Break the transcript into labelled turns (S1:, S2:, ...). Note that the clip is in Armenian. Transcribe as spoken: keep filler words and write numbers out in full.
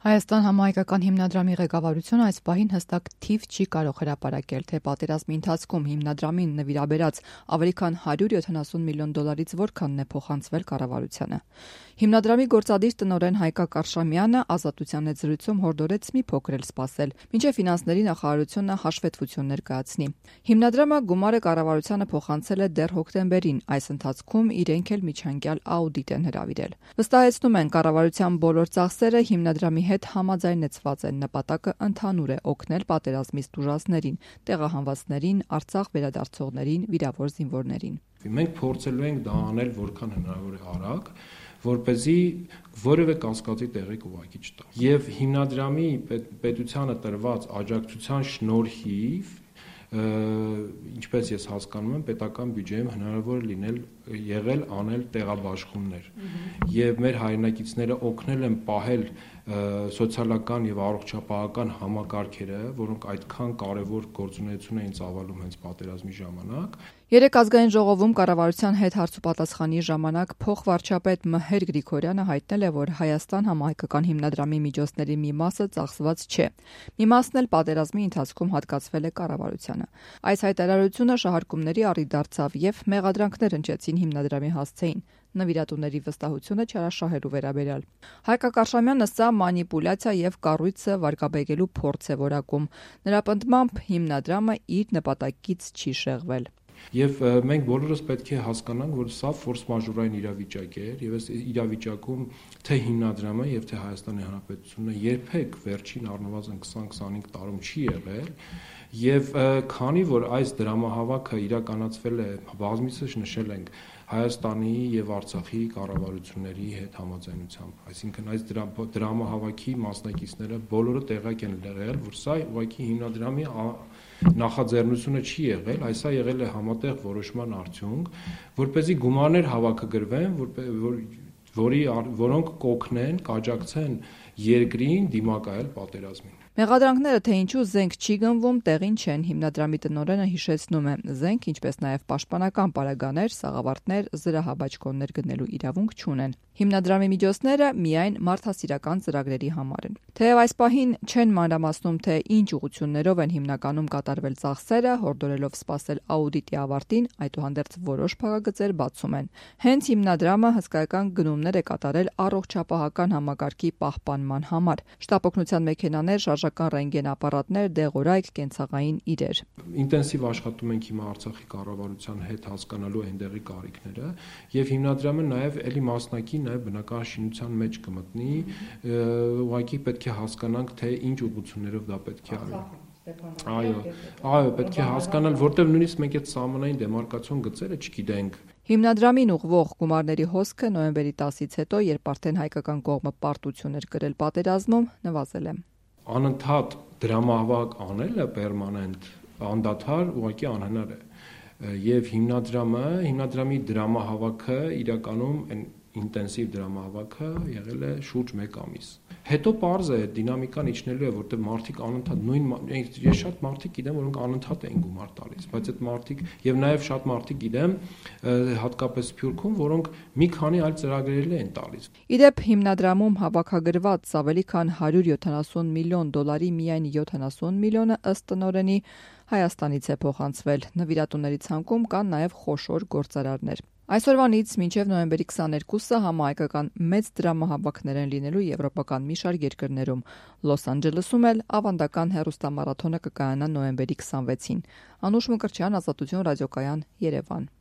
S1: Հայաստան համահայկական հիմնադրամի ղեկավարությունը այս պահին հստակ թիվ չի կարող հրապարակել, թե պատերազմի ընթացքում հիմնադրամին նվիրաբերած ավելի քան հարյուր յոթանասուն միլիոն դոլարից որքանն է փոխանցվել կառավարությանը։ Հիմնադրամի գործադիր տնօրեն Հայկա Կարշամյանը Ազատության հետ զրույցում հորդորեց մի փոքր էլ սպասել, մինչև ֆինանսների նախարարությունը հաշվետվություն ներկայացնի։ Հիմնադրամը գումարը կառավարությանը փոխանցել է դեռ հոկտեմբերին, այս ընթացքում իրենք էլ միջանկյալ աուդիտ են հրավիրել։ Վստահեցնում են, կառավարության բոլոր ծախսերը հիմնադրամի հետ համաձայնեցված են, նպատակը ընդհանուր է օգնել պատերազմից տուժածներին, տեղահանվածներին, Արցախ վերադարձողներին, վիրավոր զինվորներին։
S2: Մենք փորձելու ենք դա անել որքան հնարավոր է արագ, որպեսզի որևէ կասկածի տեղիք ուղղակի չտա։ Եվ հիմնադրամի պետությանը տրված աջակցության շնորհիվ, ինչպես ես հասկանում եմ, պետական բյուջեում հնարավոր լինել եղել անել տեղաբաշխումներ։ Եվ մեր հայրենակիցները օգնել են պահել սոցիալական եւ առողջապահական համակարգերը, որոնք այդքան կարեւոր գործունեություն էին ծավալում հենց պատերազմի ժամանակ։
S1: Երեք ազգային ժողովում կառավարության հետ հարցուպատասխանի ժամանակ փոխվարչապետ Մհեր Գրիգորյանը հայտնել է, որ Հայաստան համահայկական հիմնադրամի միջոցների մի մասը ծախսված չէ։ Մի մասն էլ պատերազմի ընթացքում հատկացվել է կառավարությանը։ Այս հայտարարությունը շահարկումների առիթ դարձավ եւ մեղադրանքներ հնչեցին հիմնադրամի հասցեին, նվիրատուների վստահությունը չարաշահելու վերաբերյալ։ Հայկա Կարշամյանը սա մանիպուլյացիա եւ կառույցը վարկաբեկելու փորձ է որակում։ Նրա պնդմամբ հիմնադրամը իր նպատակից չի շեղվել։
S2: Եվ մենք բոլորս պետք է հասկանանք, որ սա ֆորս մաժորային իրավիճակ էր եւ այս իրավիճակում թե հիմնադրամը եւ թե Հայաստանի Հանրապետությունը երբեք վերջին առնվազն քսան քսանհինգ տարում չի եղել եւ քանի որ այս դրամահավաքը իրականացվել է բազմիցս նշել ենք Հայաստանի եւ Արցախի կառավարությունների հետ համաձայնությամբ, այսինքն այս դրամահավաքի մասնակիցները բոլորը տեղյակ են եղել, որ սա ուղղակի հիմնադրամի նախաձեռնությունը չի եղել, այսա եղել է համատեղ որոշման արդյունք, որպեսզի գումարներ հավաքագրվեն, որ, որի որոնք կօգնեն, կաջակցեն երկրին դիմակայել պատերազմին։
S1: Մեղադրանքները, թե ինչու զենք չի գնվում, տեղին չեն, հիմնադրամի տնօրենը հիշեցնում է, զենք, ինչպես նաև պաշտպանական պարագաներ, սաղավարտներ, զրահաբաճկոններ գնելու իրավունք չունեն։ Հիմնադրամի միջոցները միայն մարդասիրական ծրագրերի համար են։ Թեև այս պահին չեն մանրամասնում, թե ինչ ուղղություններով են հիմնականում կատարվել ծախսերը, հորդորելով սպասել աուդիտի ավարտին, այդուհանդերձ որոշ փակագծեր բացում են։ Հենց հիմնադրամը հսկայական գնումներ է կատարել առողջապահական համակարգի պահպանման համար։ Շտապօգնության մեքենաներ, շարժական ռենտգեն ապարատներ, դեղորայք, կենցաղային իրեր։
S2: Ինտենսիվ աշխատում ենք հիմա Արցախի կառավարության հետ հասկանալու այնտեղի կարիքները եւ հիմնադրամը նաեւ էլի մասնակի նաեւ բնական շինության մեջ կմտնի, ուղղակի պետք է հասկանանք, թե ինչ ուղղություններով դա պետք է արվի։ Այո, այո, պետք է հասկանալ, որտեղ նույնիսկ մենք այդ սահմանային դեմարկացիոն գծերը չգիտենք։
S1: Հիմնադրամին ուղղվող գումարների հոսքը նոյեմբերի տասից հետո, երբ արդեն հայկական կողմը պարտություն էր կրել պատերազմում, նվազել է։
S2: Անընդհատ դրամահավաք անելը պերմանենտ անդադար ուղղակի անհնար է եւ հիմնադրամը հիմնադրամի դրամահավաքը իրականում այն ինտենսիվ դրամահավաքը եղել է շուրջ մեկ ամիս։ Հետո պարզ է դինամիկան իջնելու է, որտեղ մարդիկ անընդհատ նույն ես շատ մարդիկ գիտեմ, որոնք անընդհատ են գումար տալիս, բայց այդ մարդիկ եւ նաեւ շատ մարդիկ գիտեմ, հատկապես Սփյուռքում, որոնք մի քանի այլ ծրագրերել են տալիս։
S1: Իդեպ հիմնադրամում հավաքագրված ավելի քան հարյուր յոթանասուն միլիոն դոլարի միայն յոթանասուն միլիոնը ըստ տնօրենի Հայաստանից է փոխանցվել։ Նվիրատուների ցանկում կան նաեւ խոշոր գործարարներ։ Այսօրվանից մինչև նոյեմբերի քսաներկուսը համահայկական մեծ դրամահավաքներ են լինելու եվրոպական մի շարք երկրներում։ Լոս Անջելեսում էլ ավանդական հեռուստամարաթոնը կկայանա նոյեմբերի քսանվեցին։ Անուշ Մկրտչյան, Ազատություն ռադիոկայան, Երևան։